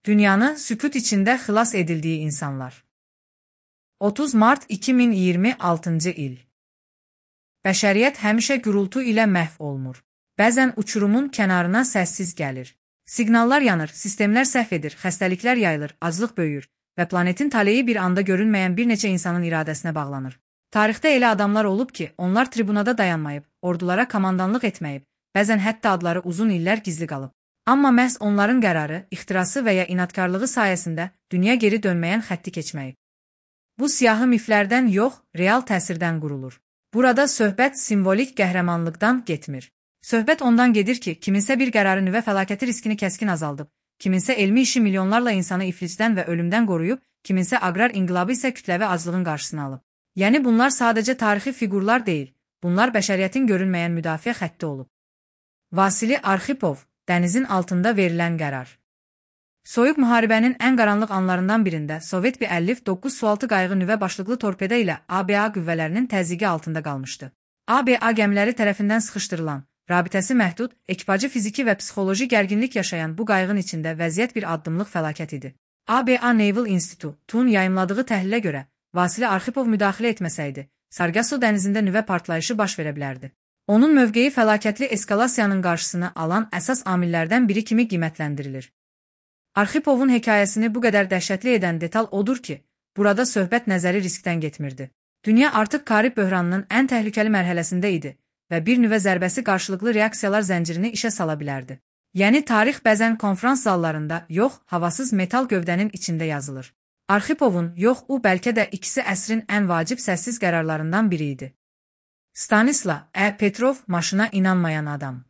Dünyanı sükut içində xilas edildiyi insanlar. 30 Mart 2026 il. Bəşəriyyət həmişə gürültü ilə məhv olunur. Bəzən uçurumun kənarına səssiz gəlir. Siqnallar yanır, sistemlər səhv edir, xəstəliklər yayılır, aclıq böyüyür və planetin taleyi bir anda görünməyən bir neçə insanın iradəsinə bağlanır. Tarixdə elə adamlar olub ki, onlar tribunada dayanmayıb, ordulara komandanlıq etməyib, bəzən hətta adları uzun illər gizli qalıb. Amma məhz onların qərarı, ixtirası və ya inadkarlığı sayəsində dünya geri dönməyən xətti keçməyib. Bu siyahı miflərdən yox, real təsirdən qurulur. Burada söhbət simvolik qəhrəmanlıqdan getmir. Söhbət ondan gedir ki, kiminsə bir qərarı nüvə fəlakəti riskini kəskin azaldıb, kiminsə elmi işi milyonlarla insanı iflicdən və ölümdən qoruyub, kiminsə aqrar inqilabı isə kütləvi aclığın qarşısını alıb. Yəni bunlar sadəcə tarixi fiqurlar deyil, bunlar bəşəriyyətin görünməyən müdafiə xətti olub. Vasili Arxipov, dənizin altında verilən qərar. Soyuq müharibənin ən qaranlıq anlarından birində Sovet bir 59 sualtı qayığı nüvə başlıqlı torpeda ilə ABA qüvvələrinin təzyiqi altında qalmışdı. ABA gəmiləri tərəfindən sıxışdırılan, rabitəsi məhdud, ekipajı fiziki və psixoloji gərginlik yaşayan bu qayığın içində vəziyyət bir addımlıq fəlakət idi. ABA Naval Institute-un yayımladığı təhlilə görə, Vasili Arxipov müdaxilə etməsəydi, Sargasso dənizində nüvə partlayışı baş verə bilərdi. Onun mövqeyi fəlakətli eskalasiyanın qarşısını alan əsas amillərdən biri kimi qiymətləndirilir. Arxipovun hekayəsini bu qədər dəhşətli edən detal odur ki, burada söhbət nəzəri riskdən getmirdi. Dünya artıq Karib böhranının ən təhlükəli mərhələsində idi və bir nüvə zərbəsi qarşılıqlı reaksiyalar zəncirini işə sala bilərdi. Yəni tarix bəzən konfrans zallarında, yox, havasız metal gövdənin içində yazılır. Arxipovun, yox, bəlkə də ikisi əsrin ən vacib səssiz qərarlarından biri idi. Stanislav Petrov, maşına inanmayan adam.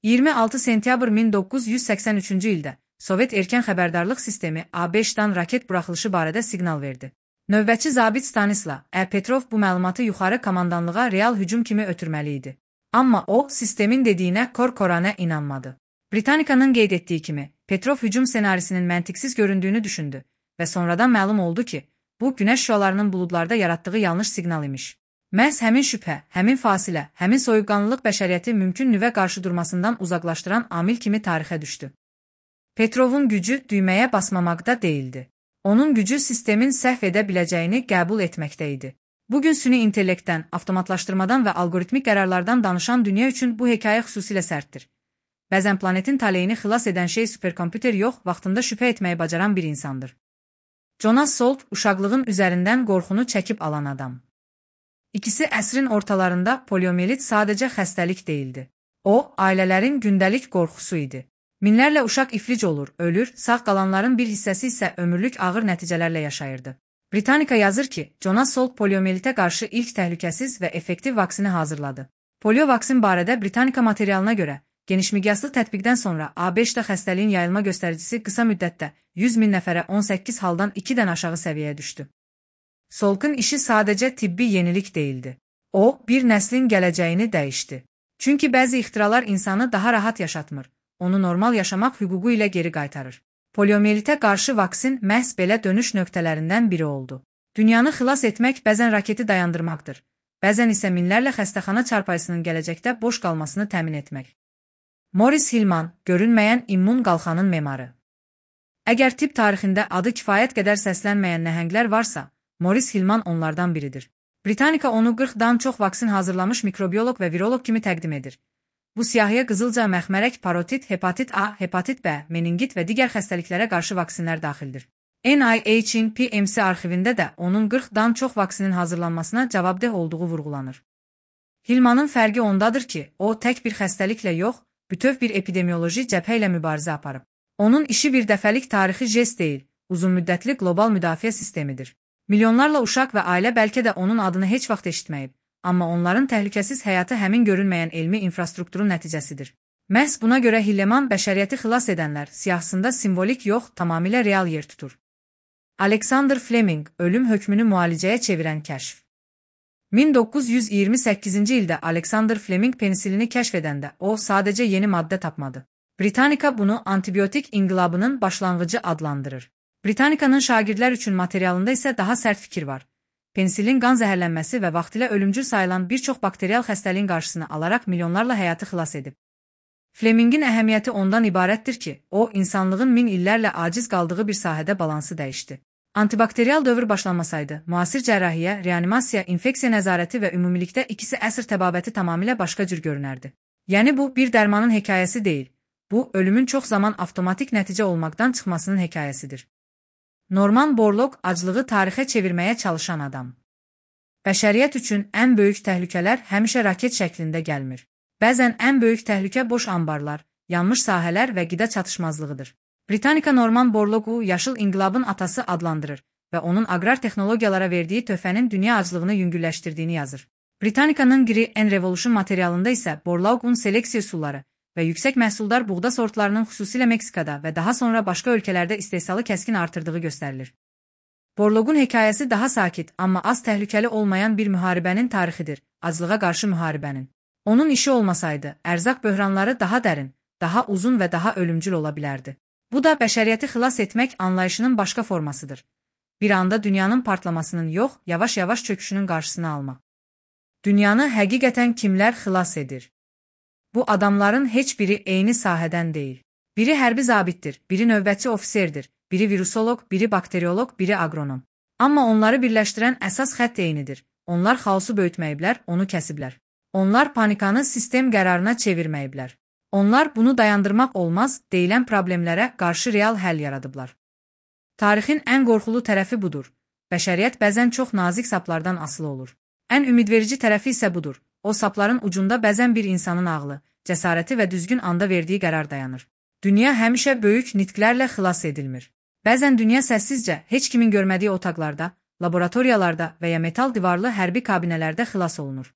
26 sentyabr 1983-cü ildə Sovet erkən xəbərdarlıq sistemi A5-dan raket buraxılışı barədə siqnal verdi. Növbətçi zabit Stanislav Petrov bu məlumatı yuxarı komandanlığa real hücum kimi ötürməli idi. Amma o, sistemin dediyinə kor-koranə inanmadı. Britanikanın qeyd etdiyi kimi, Petrov hücum senarisinin məntiqsiz göründüyünü düşündü və sonradan məlum oldu ki, bu günəş şüalarının buludlarda yaratdığı yanlış siqnal imiş. Məhz həmin şübhə, həmin fasilə, həmin soyuqqanlılıq bəşəriyyəti mümkün nüvə qarşıdurmasından uzaqlaşdıran amil kimi tarixə düşdü. Petrovun gücü düyməyə basmamaqda deyildi. Onun gücü sistemin səhv edə biləcəyini qəbul etməkdə idi. Bugün süni intellektdən, avtomatlaşdırmadan və algoritmik qərarlardan danışan dünya üçün bu hekayə xüsusilə sərtdir. Bəzən planetin taleyini xilas edən şey superkompüter yox, vaxtında şübhə etməyi bacaran bir insandır. Jonas Salk, uşaqlığın üzərindən qorxunu çəkib alan adam. İkisi əsrin ortalarında poliomelit sadəcə xəstəlik deyildi. O, ailələrin gündəlik qorxusu idi. Minlərlə uşaq iflic olur, ölür, sağ qalanların bir hissəsi isə ömürlük ağır nəticələrlə yaşayırdı. Britannica yazır ki, Jonas Salk poliomelitə qarşı ilk təhlükəsiz və effektiv vaksini hazırladı. Polio vaksin barədə Britannica materialına görə, genişmiqyaslı tətbiqdən sonra A5-də xəstəliyin yayılma göstəricisi qısa müddətdə 100 min nəfərə 18 haldan 2-dən aşağı səviyyəyə düşdü. Salkın işi sadəcə tibbi yenilik deyildi. O, bir nəslin gələcəyini dəyişdi. Çünki bəzi ixtiralar insanı daha rahat yaşatmır, onu normal yaşamaq hüququ ilə geri qaytarır. Poliomelitə qarşı vaksin məhz belə dönüş nöqtələrindən biri oldu. Dünyanı xilas etmək bəzən raketi dayandırmaqdır, bəzən isə minlərlə xəstəxana çarpayısının gələcəkdə boş qalmasını təmin etmək. Morris Hillman, görünməyən immun qalxanın memarı. Əgər tibb tarixində adı kifayət qədər səslənməyən nəhənglər varsa, Morris Hillman onlardan biridir. Britannica onu 40-dan çox vaksin hazırlamış mikrobioloq və viroloq kimi təqdim edir. Bu siyahıya qızılca məxmərək, parotit, hepatit A, hepatit B, meningit və digər xəstəliklərə qarşı vaksinlər daxildir. NIH-in PMC arxivində də onun 40-dan çox vaksinin hazırlanmasına cavabdeh olduğu vurğulanır. Hillmanın fərqi ondadır ki, o tək bir xəstəliklə yox, bütöv bir epidemioloji cəbhə ilə mübarizə aparıb. Onun işi bir dəfəlik tarixi jest deyil, uzunmüddətli qlobal müdafiə sistemidir. Milyonlarla uşaq və ailə bəlkə də onun adını heç vaxt eşitməyib, amma onların təhlükəsiz həyatı həmin görünməyən elmi infrastrukturun nəticəsidir. Məhz buna görə Hillman bəşəriyyəti xilas edənlər siyahısında simvolik yox, tamamilə real yer tutur. Alexander Fleming, ölüm hökmünü müalicəyə çevirən kəşf. 1928-ci ildə Alexander Fleming penisilini kəşf edəndə o sadəcə yeni maddə tapmadı. Britannica bunu antibiotik inqilabının başlanğıcı adlandırır. Britannicanın şagirdlər üçün materialında isə daha sərt fikir var. Penisilin qan zəhərlənməsi və vaxtilə ölümcül sayılan bir çox bakterial xəstəliyin qarşısını alaraq milyonlarla həyatı xilas edib. Flemingin əhəmiyyəti ondan ibarətdir ki, o, insanlığın min illərlə aciz qaldığı bir sahədə balansı dəyişdi. Antibakteriyal dövr başlanmasaydı, müasir cərrahiyyə, reanimasiya, infeksiya nəzarəti və ümumilikdə ikisi əsr təbabəti tamamilə başqa cür görünərdi. Yəni bu, bir dərmanın hekayəsi deyil. Bu, ölümün çox zaman avtomatik nəticə olmaqdan çıxmasının hekayəsidir. Norman Borlaug aclığı tarixə çevirməyə çalışan adam. Bəşəriyyət üçün ən böyük təhlükələr həmişə raket şəklində gəlmir. Bəzən ən böyük təhlükə boş anbarlar, yanmış sahələr və qida çatışmazlığıdır. Britannica Norman Borlaugu yaşıl inqilabın atası adlandırır və onun aqrar texnologiyalara verdiyi töhfənin dünya aclığını yüngülləşdirdiyini yazır. Britannica'nın Green Revolution materialında isə Borlaugun seleksiya üsulları və yüksək məhsuldar buğda sortlarının xüsusilə Meksikada və daha sonra başqa ölkələrdə istehsalı kəskin artırdığı göstərilir. Borlaugun hekayəsi daha sakit, amma az təhlükəli olmayan bir müharibənin tarixidir, aclığa qarşı müharibənin. Onun işi olmasaydı, ərzaq böhranları daha dərin, daha uzun və daha ölümcül ola bilərdi. Bu da bəşəriyyəti xilas etmək anlayışının başqa formasıdır. Bir anda dünyanın partlamasının yox, yavaş-yavaş çöküşünün qarşısını almaq. Dünyanı həqiqətən kimlər xilas edir? Bu adamların heç biri eyni sahədən deyil. Biri hərbi zabitdir, biri növbətçi ofisirdir, biri virusoloq, biri bakteriolog, biri agronom. Amma onları birləşdirən əsas xətt eynidir. Onlar xaosu böyütməyiblər, onu kəsiblər. Onlar panikanı sistem qərarına çevirməyiblər. Onlar bunu dayandırmaq olmaz, deyilən problemlərə qarşı real həll yaradıblar. Tarixin ən qorxulu tərəfi budur. Bəşəriyyət bəzən çox nazik saplardan asılı olur. Ən ümidverici tərəfi isə budur. O sapların ucunda bəzən bir insanın ağlı, cəsarəti və düzgün anda verdiyi qərar dayanır. Dünya həmişə böyük nitqlərlə xilas edilmir. Bəzən dünya səssizcə, heç kimin görmədiyi otaqlarda, laboratoriyalarda və ya metal divarlı hərbi kabinələrdə xilas olunur.